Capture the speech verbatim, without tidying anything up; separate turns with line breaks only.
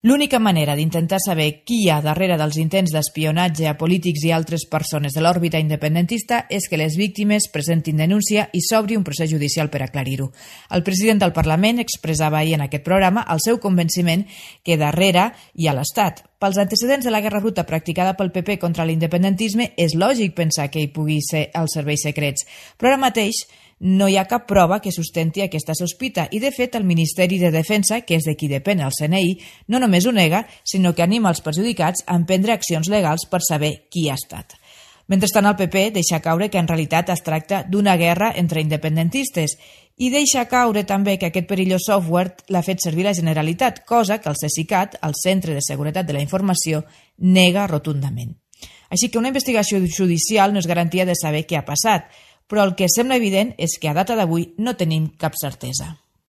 L'única manera d'intentar saber qui hi ha darrere dels intents d'espionatge a polítics i altres persones de l'òrbita independentista és que les víctimes presentin denúncia i s'obri un procés judicial per aclarir-ho. El president del Parlament expressava ahir en aquest programa el seu convenciment que darrere hi ha l'Estat. Pels antecedents de la guerra bruta practicada pel P P contra l'independentisme, és lògic pensar que hi pugui ser els serveis secrets, però ara mateix no hi ha cap prova que sustenti aquesta sospita i, de fet, el Ministeri de Defensa, que és de qui depèn el C N I, no només ho nega, sinó que anima els perjudicats a emprendre accions legals per saber qui ha estat. Mentrestant, el P P deixa caure que en realitat es tracta d'una guerra entre independentistes i deixa caure també que aquest perillós software l'ha fet servir la Generalitat, cosa que el Cesicat, el Centre de Seguretat de la Informació, nega rotundament. Així que una investigació judicial no és garantia de saber què ha passat, però el que sembla evident és que a data d'avui no tenim cap certesa.